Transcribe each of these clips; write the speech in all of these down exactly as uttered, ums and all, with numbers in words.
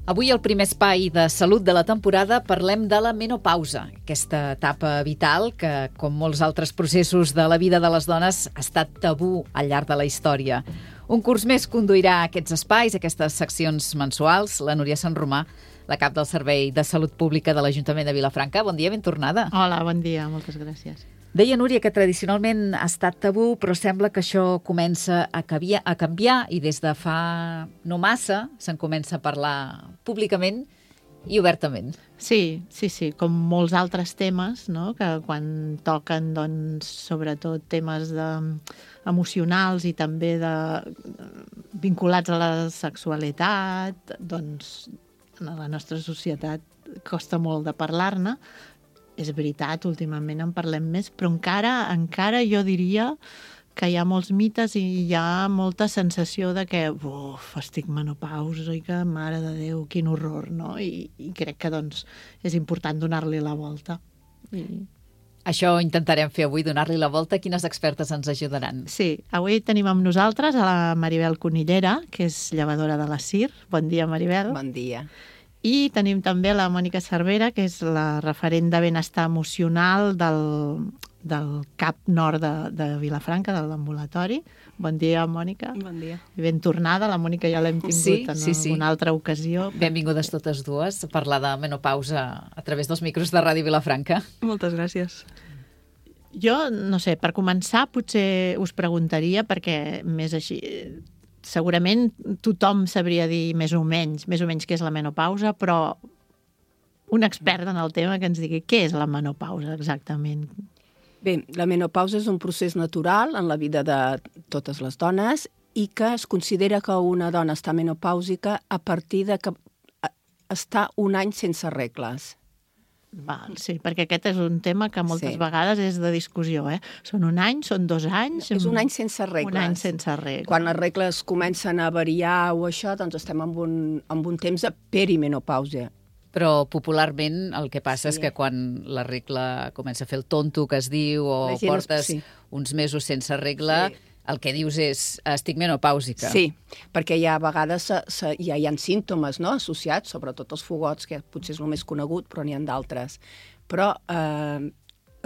Avui, al primer espai de salut de la temporada, parlem de la menopausa, aquesta etapa vital que, com molts altres processos de la vida de les dones, ha estat tabú al llarg de la història. Un curs més conduirà aquests espais, aquestes seccions mensuals, la Núria Sant Romà, la cap del Servei de Salut Pública de l'Ajuntament de Vilafranca. Bon dia, ben tornada. Hola, bon dia, moltes gràcies. Deia, Núria, que tradicionalment ha estat tabú, però sembla que això comença a canviar, a canviar i des de fa no massa se'n comença a parlar públicament i obertament. Sí, sí, sí, com molts altres temes, no?, que quan toquen, doncs, sobretot temes de, emocionals i també de, vinculats a la sexualitat, doncs, a la nostra societat costa molt de parlar-ne. És veritat, últimament en parlem més, però encara, encara jo diria que hi ha molts mites i hi ha molta sensació de que uf, estic menopàusica, mare de Déu, quin horror, no? I, i crec que doncs, és important donar-li la volta. I... Això intentarem fer avui, donar-li la volta. Quines expertes ens ajudaran? Sí, avui tenim amb nosaltres a la Maribel Cunillera, que és llevadora de la C I R. Bon dia, Maribel. Bon dia. I tenim també la Mònica Cervera, que és la referent de benestar emocional del, del CAP Nord de, de Vilafranca, de l'ambulatori. Bon dia, Mònica. Bon dia. I ben tornada, la Mònica ja l'hem tingut sí, en sí, sí. una altra ocasió. Benvingudes totes dues a parlar de menopausa a través dels micros de Ràdio Vilafranca. Moltes gràcies. Jo, no sé, per començar potser us preguntaria, perquè més així... Segurament tothom sabria dir més o menys, més o menys què és la menopausa, però un expert en el tema que ens digui què és la menopausa exactament. Bé, la menopausa és un procés natural en la vida de totes les dones i que es considera que una dona està menopàusica a partir de que està un any sense regles. Val, sí, perquè aquest és un tema que moltes sí. vegades és de discussió, eh? Són un any, són dos anys... És un any sense regles. Un any sense regles. Quan les regles comencen a variar o això, doncs estem en un, en un temps de perimenopausa. Però popularment el que passa sí. és que quan la regla comença a fer el tonto que es diu o portes sí. uns mesos sense regla... Sí. El que dius és, estic menopàusica. Sí, perquè hi ha a vegades se, se, ja hi ha símptomes, no?, associats, sobretot els fogots, que potser és el més conegut, però n'hi ha d'altres. Però eh,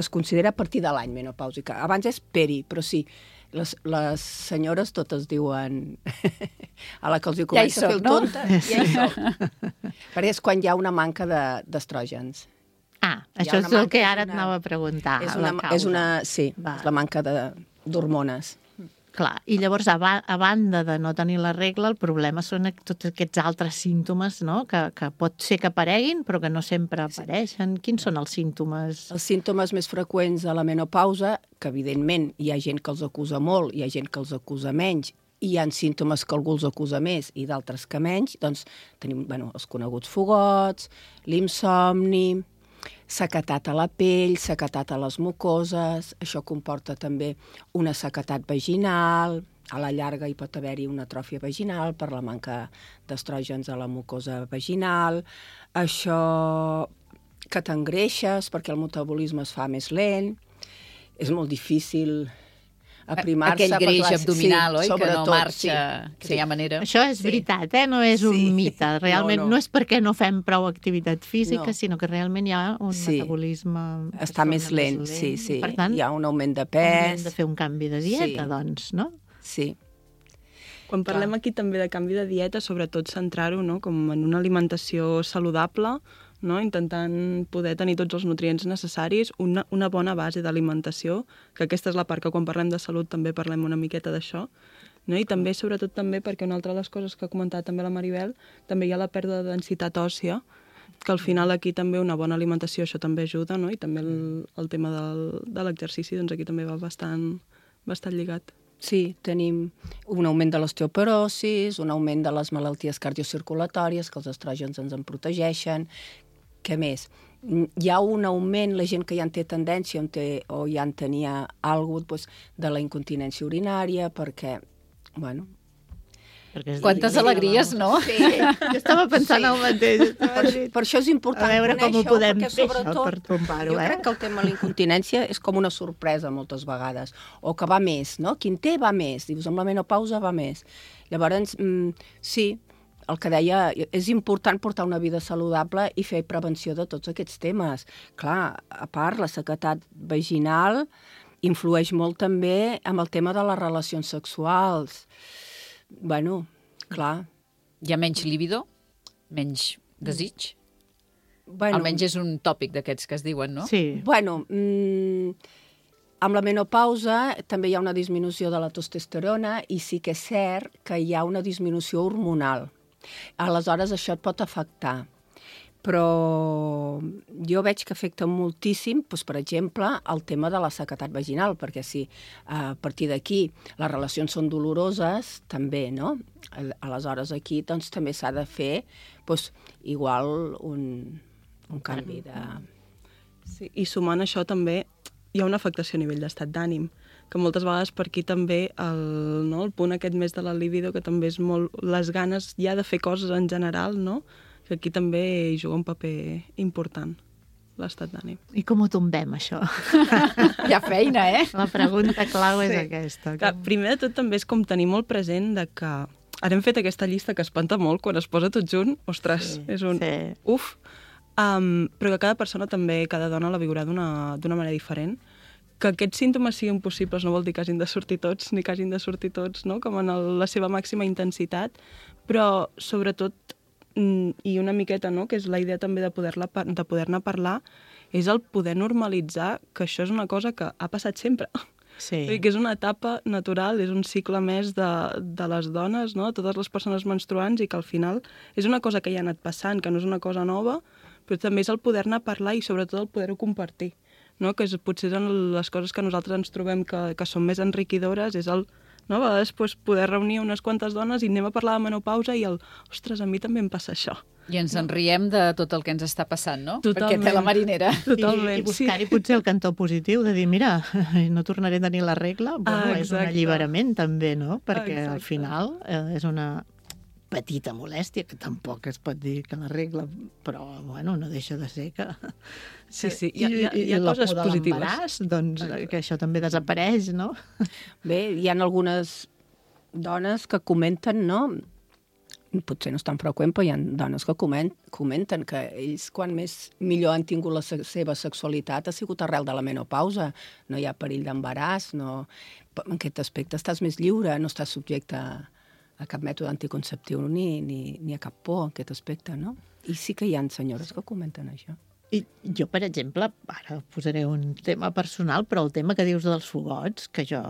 es considera a partir de l'any menopàusica. Abans és peri, però sí, les, les senyores totes diuen... a la que els hi comença ja a fer el no? tonta, ja hi soc. Perquè és quan hi ha una manca d'estrògens. Ah, això és el que ara et anava a preguntar. És una, és una, sí, Va. és la manca d'hormones. Clar, i llavors, a, ba a banda de no tenir la regla, el problema són tots aquests altres símptomes, no?, que, que pot ser que apareguin, però que no sempre apareixen. Quins són els símptomes? Els símptomes més freqüents de la menopausa, que evidentment hi ha gent que els acusa molt, hi ha gent que els acusa menys, i hi ha símptomes que algú els acusa més i d'altres que menys, doncs tenim bueno, els coneguts fogots, l'insomni, sequetat a la pell, sequetat a les mucoses, això comporta també una sequetat vaginal, a la llarga hi pot haver-hi una atròfia vaginal per la manca d'estrògens a la mucosa vaginal, això que t'engreixes perquè el metabolisme es fa més lent, és molt difícil aprimar-se. Aquell greix clar, abdominal, sí, oi? Que no marxa, sí, que sí. no hi ha manera. Això és sí. veritat, eh? No és un sí. mite. Realment no, no. no és perquè no fem prou activitat física, no. sinó que realment hi ha un sí. metabolisme... Està més lent, més lent, sí, sí. Per tant, hi ha un augment de pes. Hem de fer un canvi de dieta, sí. doncs, no? Sí. Quan parlem aquí també de canvi de dieta, sobretot centrar-ho, no?, com en una alimentació saludable, no?, intentant poder tenir tots els nutrients necessaris, una, una bona base d'alimentació, que aquesta és la part que quan parlem de salut també parlem una miqueta d'això, no? I també, sobretot també, perquè una altra de les coses que ha comentat també la Maribel, també hi ha la pèrdua de densitat òssia, que al final aquí també una bona alimentació això també ajuda, no?, i també el, el tema del, de l'exercici, doncs aquí també va bastant, bastant lligat. Sí, tenim un augment de l'osteoporosis, un augment de les malalties cardiocirculatòries, que els estrògens ens en protegeixen. Què més? Hi ha un augment, la gent que ja en té tendència té, o ja en tenia alguna cosa, doncs, de la incontinència urinària, perquè, bueno... Quantes alegries, no? Sí, jo estava pensant sí. el mateix. Per, per això és important a veure com ho podem fer, sobretot, això, per trombar-ho. Jo eh? crec que el tema de la incontinència és com una sorpresa moltes vegades, o que va més, no? Qui en té va més, dius, amb la menopausa va més. Llavors, mm, sí, el que deia, és important portar una vida saludable i fer prevenció de tots aquests temes. Clar, a part, la sequedat vaginal influeix molt també amb el tema de les relacions sexuals. Bueno, clar. Hi ha menys líbido? Menys desig? Bueno, Almenys és un tòpic d'aquests que es diuen, no? Sí. Bueno, mmm, amb la menopausa també hi ha una disminució de la testosterona i sí que és cert que hi ha una disminució hormonal. Aleshores, això et pot afectar. Però jo veig que afecta moltíssim, doncs, per exemple, el tema de la sequedat vaginal, perquè si a partir d'aquí les relacions són doloroses, també, no? Aleshores, aquí doncs, també s'ha de fer doncs, igual un, un canvi de... Sí, i sumant això també hi ha una afectació a nivell d'estat d'ànim, que moltes vegades per aquí també el, no, el punt aquest més de la libido, que també és molt les ganes ja de fer coses en general, no? Que aquí també hi juga un paper important, l'estat d'ànim. I com ho tombem, això? Hi ha feina, eh? La pregunta clau és Sí. aquesta. Que, primer de tot també és com tenir molt present de que ara hem fet aquesta llista que espanta molt quan es posa tot junt, ostres, Sí, és un sí. uf, um, però que cada persona també, cada dona la viurà d'una d'una manera diferent. Que aquests símptomes siguin possibles no vol dir que hagin de sortir tots, ni que hagin de sortir tots, no? Com en el, la seva màxima intensitat, però sobretot i una miqueta, no?, que és la idea també de poder-la de poder-ne parlar, és el poder normalitzar que això és una cosa que ha passat sempre. Sí. Vull dir que és una etapa natural, és un cicle més de, de les dones, no?, totes les persones menstruants, i que al final és una cosa que ja ha anat passant, que no és una cosa nova, però també és el poder-ne parlar i sobretot el poder-ho compartir, no?, que és, potser són les coses que nosaltres ens trobem que, que són més enriquidores, és el no? A vegades pues, poder reunir unes quantes dones i anem a parlar de menopausa i el, ostres, a mi també em passa això. I ens en riem de tot el que ens està passant, no? Totalment. Perquè té la marinera. Totalment, I, i buscar-hi sí. potser el cantó positiu, de dir, mira, no tornaré a tenir la regla, bueno, ah, és un alliberament també, no? Perquè exacte. al final eh, és una petita molèstia, que tampoc es pot dir que la regla, però, bueno, no deixa de ser que... Sí, sí, hi ha, hi ha, I, hi ha i coses la por de positives. l'embaràs, doncs, que això també desapareix, no? Bé, hi ha algunes dones que comenten, no? Potser no és tan freqüent, però hi ha dones que coment, comenten que ells, quan més millor han tingut la se seva sexualitat, ha sigut arrel de la menopausa. No hi ha perill d'embaràs, no... en aquest aspecte estàs més lliure, no estàs subjecte a, a cap mètode anticonceptiu ni, ni, ni a cap por en aquest aspecte, no? I sí que hi ha senyores que comenten això. I jo, per exemple, ara posaré un tema personal, però el tema que dius dels fogots, que jo...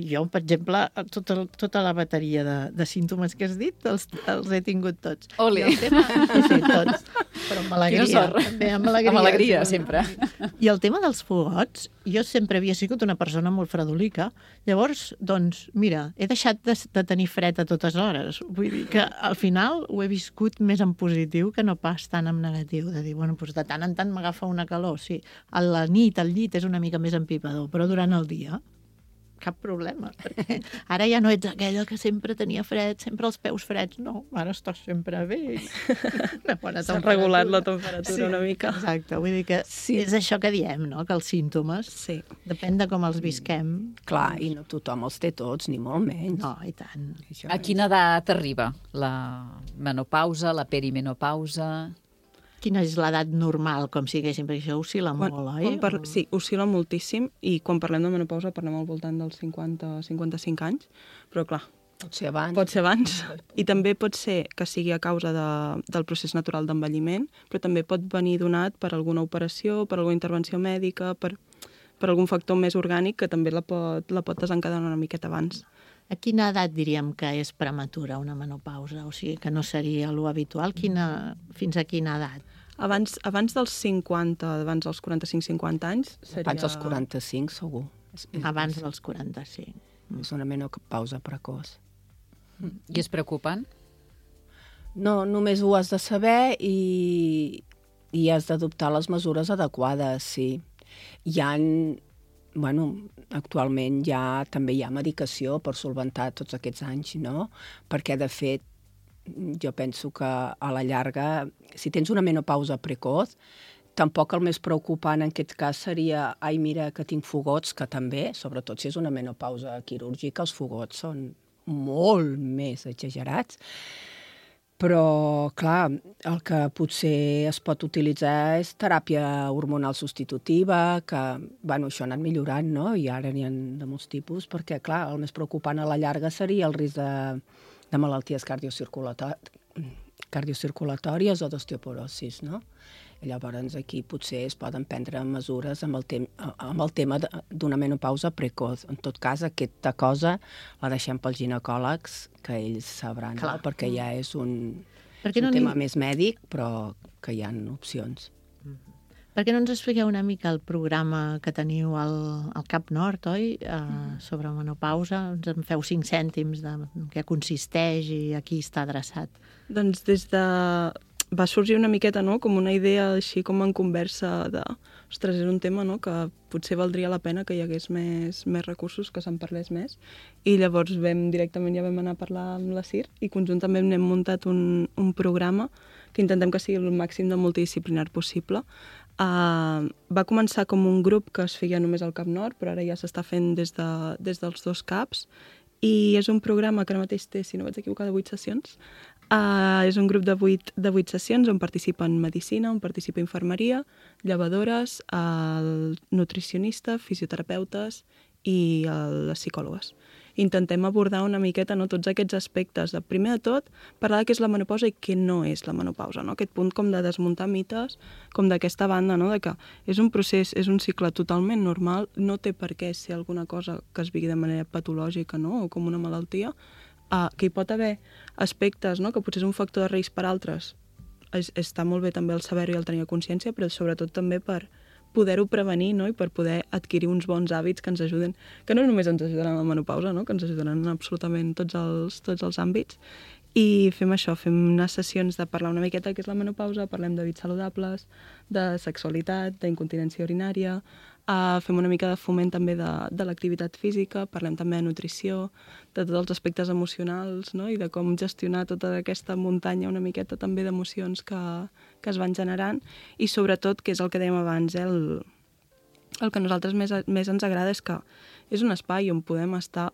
Jo, per exemple, tota, tota la bateria de, de símptomes que has dit els, els he tingut tots. Ole! I el tema, sí, tots. Però amb alegria. També, amb alegria. Amb alegria, sempre. I el tema dels fogots, jo sempre havia sigut una persona molt fredolica. Llavors, doncs, mira, he deixat de, de tenir fred a totes hores. Vull dir que al final ho he viscut més en positiu que no pas tant en negatiu. De dir, bueno, doncs de tant en tant m'agafa una calor, sí. A la nit, al llit, és una mica més empipador, però durant el dia... cap problema, perquè ara ja no ets aquella que sempre tenia fred, sempre els peus freds, no, ara estàs sempre bé. S'ha regulat la temperatura sí, una mica. Exacte, vull dir que sí. És això que diem, no?, que els símptomes, sí. depèn de com els visquem. Clar, i no tothom els té tots, ni molt menys. No, i tant. Això A quina edat arriba la menopausa, la perimenopausa? Quina és l'edat normal, com si diguéssim, perquè això oscil·la quan, molt, oi? Quan par... Sí, oscil·la moltíssim, i quan parlem de menopausa parlem al voltant dels cinquanta a cinquanta-cinc anys, però clar, pot ser abans. Pot ser abans, i també pot ser que sigui a causa de, del procés natural d'envelliment, però també pot venir donat per alguna operació, per alguna intervenció mèdica, per, per algun factor més orgànic que també la pot, la pot desencadenar una miqueta abans. A quina edat diríem que és prematura una menopausa? O sigui, que no seria lo habitual? Quina, fins a quina edat? Abans, abans dels cinquanta, abans dels quaranta-cinc cinquanta anys, seria... Abans dels quaranta-cinc, segur. Abans dels quaranta-cinc. És una menopausa precoç. I és preocupant? No, només ho has de saber i, i has d'adoptar les mesures adequades, sí. Hi ha... Bueno, actualment ja també hi ha medicació per solventar tots aquests anys, no? Perquè, de fet, jo penso que a la llarga, si tens una menopausa precoç, tampoc el més preocupant en aquest cas seria ai, mira, que tinc fogots, que també, sobretot si és una menopausa quirúrgica, els fogots són molt més exagerats. Però, clar, el que potser es pot utilitzar és teràpia hormonal substitutiva, que, bueno, això ha anat millorant, no? I ara n'hi ha de molts tipus, perquè, clar, el més preocupant a la llarga seria el risc de, de malalties cardiocirculatòries, cardiocirculatòries o d'osteoporosis, no? I llavors aquí potser es poden prendre mesures amb el, tem amb el tema d'una menopausa precoç. En tot cas, aquesta cosa la deixem pels ginecòlegs, que ells sabran, no? Perquè ja és un, és un no tema li... més mèdic, però que hi ha opcions. Per què no ens expliqueu una mica el programa que teniu al, al Cap Nord, oi? Uh, sobre menopausa. Ens en feu cinc cèntims de què consisteix i a qui està adreçat. Doncs des de... va sorgir una miqueta, no?, com una idea així com en conversa de... Ostres, és un tema, no?, que potser valdria la pena que hi hagués més, més recursos, que se'n parlés més. I llavors vam, directament ja vam anar a parlar amb la C I R i conjuntament hem muntat un, un programa que intentem que sigui el màxim de multidisciplinar possible. Uh, va començar com un grup que es feia només al Cap Nord, però ara ja s'està fent des, de, des dels dos caps, i és un programa que ara mateix té, si no vaig equivocar, de vuit sessions. Uh, és un grup de vuit, de vuit sessions on participen medicina, on participa infermeria, llevadores, el nutricionista, fisioterapeutes i el, les psicòlogues. Intentem abordar una miqueta, no, tots aquests aspectes. De, primer de tot, parlar de què és la menopausa i què no és la menopausa. No? Aquest punt com de desmuntar mites, com d'aquesta banda, no? De que és un procés, és un cicle totalment normal, no té per què ser alguna cosa que es vigui de manera patològica, no? O com una malaltia, uh, que hi pot haver aspectes, no? Que potser és un factor de risc per altres. Es, està molt bé també el saber-ho i el tenir consciència, però sobretot també per poder-ho prevenir, no? I per poder adquirir uns bons hàbits que ens ajuden, que no només ens ajuden en la menopausa, no? Que ens ajuden en absolutament tots els, tots els àmbits. I fem això, fem unes sessions de parlar una miqueta de què és la menopausa, parlem d'hàbits saludables, de sexualitat, d'incontinència urinària, uh, fem una mica de foment també de, de l'activitat física, parlem també de nutrició, de tots els aspectes emocionals, no? I de com gestionar tota aquesta muntanya una miqueta també d'emocions que, que es van generant, i sobretot, que és el que dèiem abans, eh, el, el que a nosaltres més, més ens agrada és que és un espai on podem estar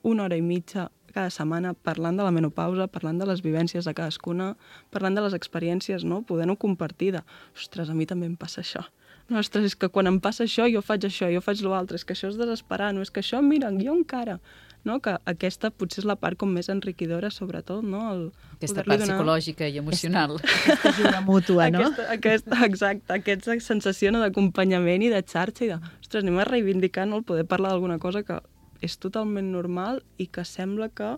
una hora i mitja cada setmana parlant de la menopausa, parlant de les vivències de cadascuna, parlant de les experiències, no? Podent-ho compartir de, ostres, a mi també em passa això. No, ostres, és que quan em passa això, jo faig això, jo faig l'altre, és que això és desesperar, no? És que això, mira, jo encara... No? Que aquesta potser és la part com més enriquidora, sobretot, no? El aquesta part donar... psicològica i emocional. Aquesta, aquesta ajuda mútua, no? Aquesta, aquesta, exacte, aquesta sensació, no, d'acompanyament i de xarxa i de, ostres, anem a reivindicar, no? El poder parlar d'alguna cosa que és totalment normal i que sembla que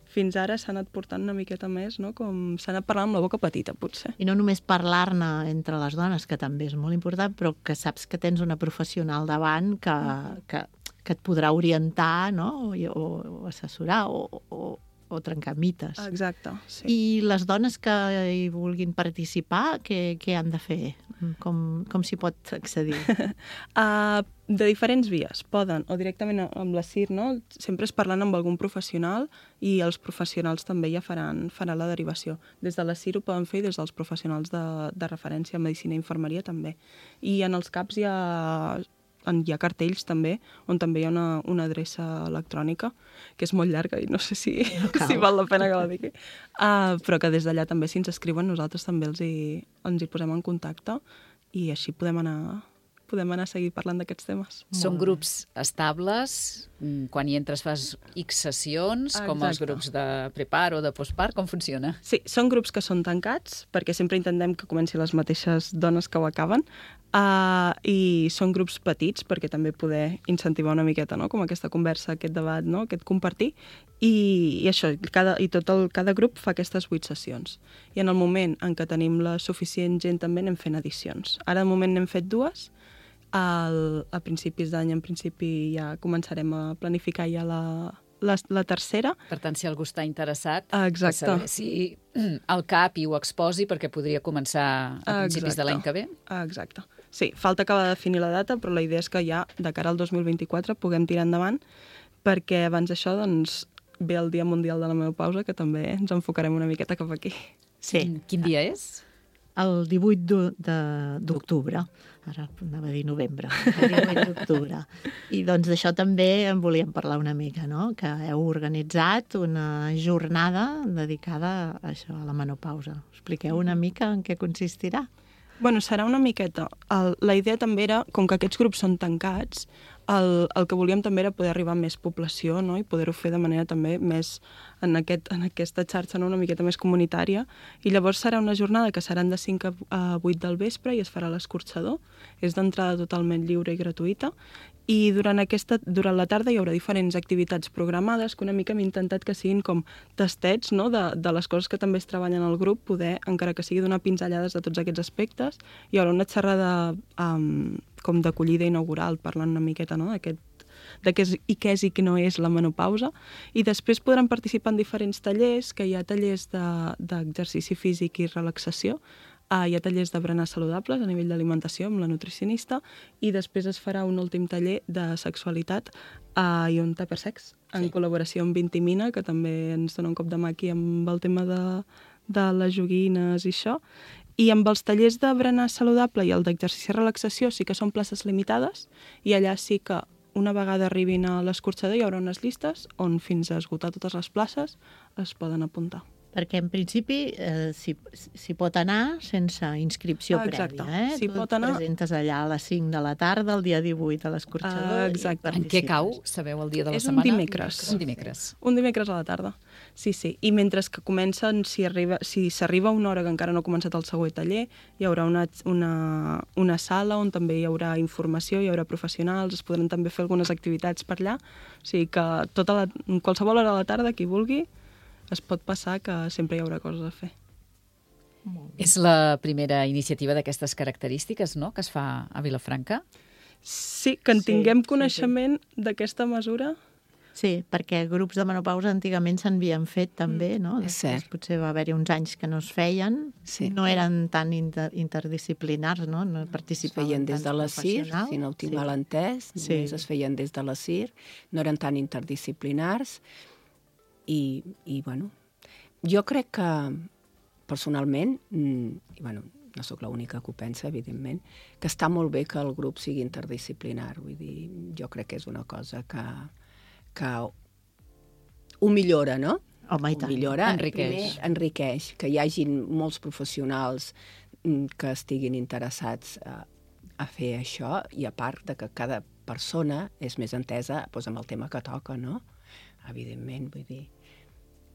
fins ara s'ha anat portant una miqueta més, no? Com s'ha anat parlant amb la boca petita, potser. I no només parlar-ne entre les dones, que també és molt important, però que saps que tens una professional davant que, que, que et podrà orientar, no? O, o, o assessorar o, o, o trencar mites. Exacte, sí. I les dones que hi vulguin participar, què, què han de fer? Com, com s'hi pot accedir? uh, de diferents vies. Poden, o directament amb la C I R, no? Sempre és parlant amb algun professional i els professionals també ja faran, faran la derivació. Des de la C I R ho poden fer i des dels professionals de, de referència a medicina i infermeria també. I en els CAPs hi ha... hi ha cartells també, on també hi ha una, una adreça electrònica, que és molt llarga i no sé si, no si val la pena que la digui. Uh, però que des d'allà també, si ens escriuen, nosaltres també els hi, ens hi posem en contacte i així podem anar, podem anar a seguir parlant d'aquests temes. Són grups estables, quan hi entres fas X sessions, Exacte. Com els grups de prepar o de postpart, com funciona? Sí, són grups que són tancats, perquè sempre intentem que comenci les mateixes dones que ho acaben, Uh, i són grups petits perquè també poder incentivar una miqueta, no? Com aquesta conversa, aquest debat, no? Aquest compartir, i, i això, cada, i tot el, cada grup fa aquestes vuit sessions. I en el moment en què tenim la suficient gent també anem fent edicions. Ara de moment n'hem fet dues, al, a principis d'any en principi ja començarem a planificar ja la, la, la tercera. Per tant, si algú està interessat, exacte. Saber si el CAP i ho exposi perquè podria començar a principis exacte. De l'any que ve. Exacte. Sí, falta acabar de definir la data, però la idea és que ja, de cara al dos mil vint-i-quatre, puguem tirar endavant, perquè abans d'això, doncs, ve el Dia Mundial de la Menopausa, que també ens enfocarem una miqueta cap aquí. Sí. Quin dia és? el divuit d'octubre. Ara anava a dir novembre, el divuit d'octubre. I doncs d'això també en volíem parlar una mica, no? Que heu organitzat una jornada dedicada a això, a la menopausa. Expliqueu una mica en què consistirà. Bueno, serà una miqueta. El, la idea també era, com que aquests grups són tancats, el, el que volíem també era poder arribar a més població, no? I poder-ho fer de manera també més en, aquest, en aquesta xarxa, no? Una miqueta més comunitària. I llavors serà una jornada que seran de cinc a vuit del vespre i es farà a l'escorxador. És d'entrada totalment lliure i gratuïta. I durant, aquesta, durant la tarda hi haurà diferents activitats programades que una mica hem intentat que siguin com tastets, no? de, de les coses que també es treballen al grup, poder, encara que sigui donar pinzellades de tots aquests aspectes. Hi haurà una xerrada um, com d'acollida inaugural, parlant una miqueta, no? D'aquest de què és i què és i què no és la menopausa, i després podran participar en diferents tallers, que hi ha tallers d'exercici de, físic i relaxació, uh, hi ha tallers de berenar saludables a nivell d'alimentació amb la nutricionista, i després es farà un últim taller de sexualitat uh, i un tuppersex, en sí. col·laboració amb Vintimina, que també ens dona un cop de mà aquí amb el tema de, de les joguines i això. I amb els tallers de berenar saludable i el d'exercici i relaxació sí que són places limitades, i allà sí que una vegada arribin a l'escorxador hi haurà unes llistes on fins a esgotar totes les places es poden apuntar. Perquè en principi eh, s'hi si pot anar sense inscripció ah, prèvia. Eh? Si tu pot anar... et presentes allà a les cinc de la tarda, el dia divuit a l'escorxador. Ah, exacte. En què cau? Sabeu el dia de la és setmana? És un dimecres. Un dimecres. Un dimecres a la tarda. Sí, sí. I mentre que comencen, si arriba, si s'arriba una hora que encara no ha començat el següent taller, hi haurà una, una, una sala on també hi haurà informació, hi haurà professionals, es podran també fer algunes activitats per allà. O sigui que tota la, qualsevol hora de la tarda, qui vulgui, es pot passar que sempre hi haurà coses a fer. És la primera iniciativa d'aquestes característiques, no?, que es fa a Vilafranca? Sí, que en tinguem sí, coneixement sí, sí. d'aquesta mesura. Sí, perquè grups de menopausa antigament s'havien fet també, mm, no? És cert. Potser va haver-hi uns anys que no es feien, sí. no eren tan inter interdisciplinars, no? No participaven. Es feien des de la C I R, si no ho tinc sí. mal entès, sí. es feien des de la C I R, no eren tan interdisciplinars. I, i bueno, jo crec que, personalment, i bueno, no sóc l'única que ho pensa, evidentment, que està molt bé que el grup sigui interdisciplinar. Vull dir, jo crec que és una cosa que, que ho millora, no? Home, i tant. Ho millora, enriqueix. Primer, enriqueix, que hi hagin molts professionals que estiguin interessats a, a fer això, i a part de que cada persona és més entesa doncs, amb el tema que toca, no? Evidentment, vull dir,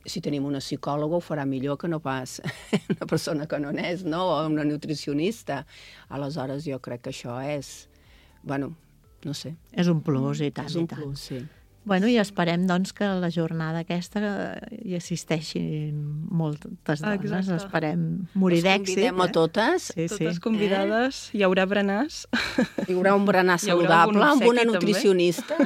si tenim una psicòloga ho farà millor que no pas una persona que no n'és, no? O una nutricionista. Aleshores, jo crec que això és, bueno, no sé. És un plus, i tant, és un i tant. plus, sí. Bueno, i esperem, doncs, que a la jornada aquesta hi assisteixin moltes dones. Exacte. Esperem morir d'èxit. Les convidem a totes. Sí, sí. Totes convidades. Eh? Hi haurà berenars. Hi haurà un berenar saludable amb una nutricionista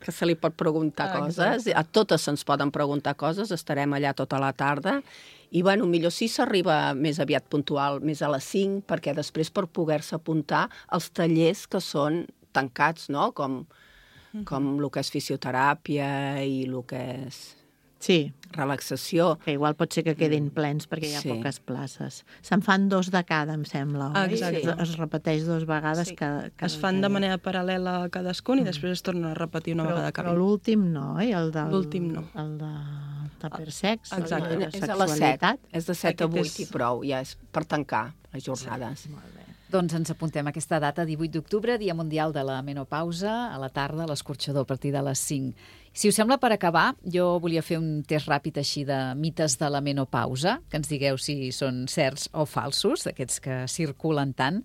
que se li pot preguntar ah, coses. Exacte. A totes se'ns poden preguntar coses. Estarem allà tota la tarda. I, bueno, millor si s'arriba més aviat puntual, més a les cinc, perquè després per poder-se apuntar als tallers que són tancats, no? Com... com el que és fisioteràpia i el que és sí. relaxació. Que igual pot ser que quedin plens perquè hi ha sí. poques places. Se'n fan dos de cada, em sembla, oi? Exacte. Es, es repeteix dos vegades. Sí. Cada, cada es fan de manera paral·lela a cadascun i mm. després es torna a repetir una però, vegada cada Però l'últim no, oi? El del, l'últim no. El de tuppersex, exacte. el de és a les set. És de set a vuit és... i prou. Ja és per tancar les jornades. Sí, molt bé. Doncs ens apuntem a aquesta data, divuit d'octubre, Dia Mundial de la Menopausa, a la tarda, a l'escorxador, a partir de les cinc. Si us sembla, per acabar, jo volia fer un test ràpid així de mites de la menopausa, que ens digueu si són certs o falsos, d'aquests que circulen tant.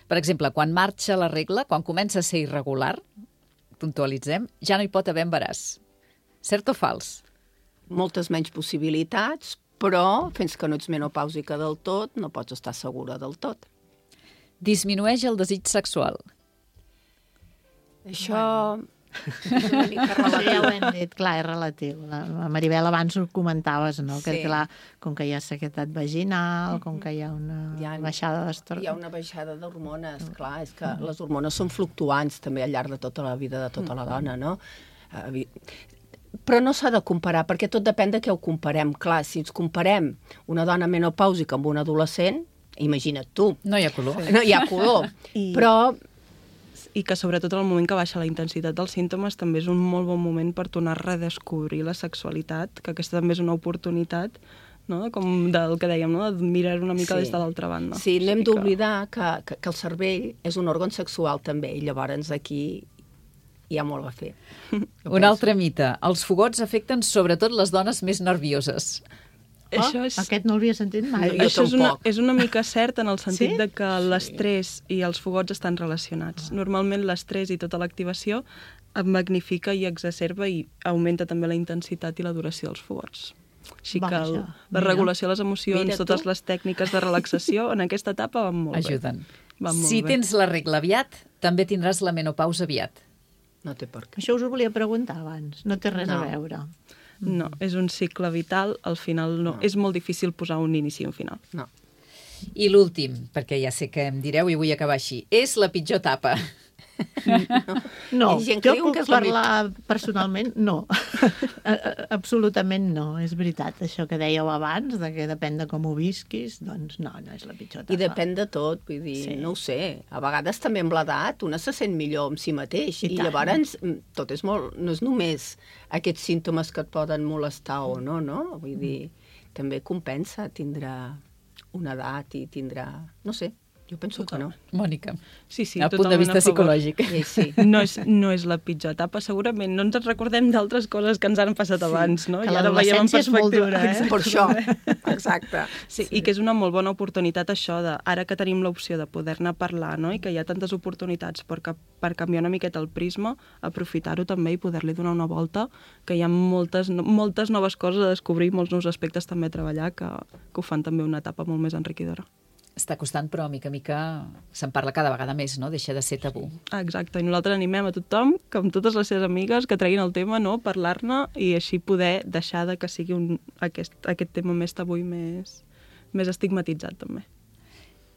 Per exemple, quan marxa la regla, quan comença a ser irregular, puntualitzem, ja no hi pot haver embaràs. Cert o fals? Moltes menys possibilitats, però fins que no ets menopàusica del tot, no pots estar segura del tot. Disminueix el desig sexual. Això és una mica relatiu. Sí, ja ho hem dit, clar, és relatiu. La, la Maribel, abans ho comentaves, no? Que, Sí. clar, com que hi ha sequedat vaginal, com que hi ha una Hi ha- baixada d'estor... Hi ha una baixada d'hormones, clar, és que les hormones són fluctuants també al llarg de tota la vida de tota la dona, no? Eh, evi- Però no s'ha de comparar, perquè tot depèn de què ho comparem. Clar, si ens comparem una dona menopàusica amb una adolescent, Imagina't tu. No hi ha color. No hi ha color. I... Però I que sobretot en el moment que baixa la intensitat dels símptomes també és un molt bon moment per tornar a redescobrir la sexualitat, que aquesta també és una oportunitat, no? Com del que dèiem, no? De mirar una mica Sí. des de l'altra banda. sí, no hem que- d'oblidar que, que, que el cervell és un òrgan sexual també, i llavors aquí hi ha molt a fer. Un altre mite. Els fogots afecten sobretot les dones més nervioses. Oh, Això és... Aquest no l'havia sentit mai. Jo Això és una, tampoc. és una mica cert en el sentit Sí? de que l'estrès i els fogots estan relacionats. Normalment l'estrès i tota l'activació magnifica i exacerba i augmenta també la intensitat i la duració dels fogots. Així que el, Vaja, la mira. regulació de les emocions, Mira tu. totes les tècniques de relaxació, en aquesta etapa van molt Ajuden. bé. Van molt Si bé. tens la regla aviat, també tindràs la menopausa aviat. No té per què. Això us ho volia preguntar abans. No té res No. a veure. No, és un cicle vital, al final no. No. És molt difícil posar un inici i un final. No. I l'últim, perquè ja sé que em direu i vull acabar així, és la pitjor etapa. No, Hi ha gent que jo diu puc que és la parlar personalment, no. A- a- Absolutament no, és veritat. Això que dèieu abans, de que depèn de com ho visquis, doncs no, no és la pitjor etapa. I depèn de tot, vull dir, Sí. no ho sé. A vegades també amb l'edat una se sent millor amb si mateix. I I, tant. llavors mm, tot és molt... No és només aquests símptomes que et poden molestar o no, no? Vull dir, també compensa tindrà una edat i tindrà... No sé, jo penso que no. Mònica, Sí, sí, a punt de totalment vista a favor. psicològic. Sí, sí. No és, no és la pitjor etapa, segurament. No ens recordem d'altres coses que ens han passat sí, abans, no? que I ara veiem en l'adolescència és molt perspectiva. dura, eh? Per això, exacte. Sí, i que és una molt bona oportunitat això de, ara que tenim l'opció de poder-ne parlar, no? I que hi ha tantes oportunitats per, cap, per canviar una miqueta el prisma, aprofitar-ho també i poder-li donar una volta, que hi ha moltes, no- moltes noves coses a descobrir, molts nous aspectes també a treballar, que, que ho fan també una etapa molt més enriquidora. Està costant, però mica a mica se'n parla cada vegada més, no? Deixa de ser tabú. Ah, exacte, i nosaltres animem a tothom, que amb totes les seves amigues, que treguin el tema, no? Parlar-ne i així poder deixar de que sigui un, aquest, aquest tema més tabú i més, més estigmatitzat també.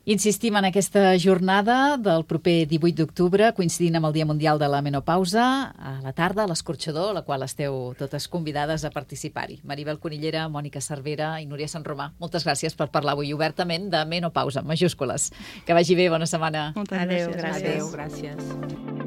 Insistim en aquesta jornada del proper divuit d'octubre, coincidint amb el Dia Mundial de la Menopausa, a la tarda, a l'Escorxador, a la qual esteu totes convidades a participar-hi. Maribel Conillera, Mònica Cervera i Núria Sant Romà, moltes gràcies per parlar avui obertament de menopausa, majúscules. Que vagi bé, bona setmana. Moltes Adéu, gràcies. gràcies. Adéu, gràcies.